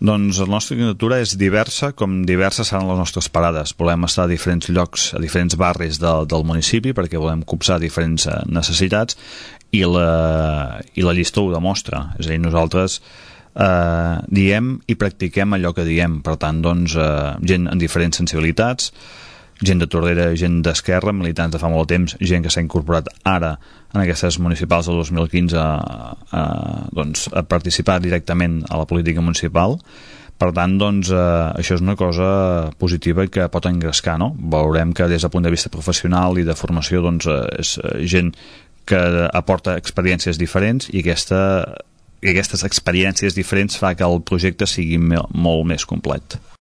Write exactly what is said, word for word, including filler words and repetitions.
Doncs la nostra candidatura és diversa, com diverses seran les nostres parades. Volem estar a diferents llocs, a diferents barris de, del municipi, perquè volem copsar diferents necessitats, i la, i la llista ho demostra. És a dir, nosaltres eh, diem i practiquem allò que diem. Per tant, doncs, eh, gent amb diferents sensibilitats, gent de Tordera, gent d'Esquerra, militants de fa molt temps, gent que s'ha incorporat ara en aquestes municipals del dos mil quinze a, a, doncs, a participar directament a la política municipal. Per tant, doncs, eh, això és una cosa positiva que pot engrescar, no? Veurem que des del punt de vista professional i de formació, doncs, eh, és gent que aporta experiències diferents, i aquesta, i aquestes experiències diferents fa que el projecte sigui molt més complet.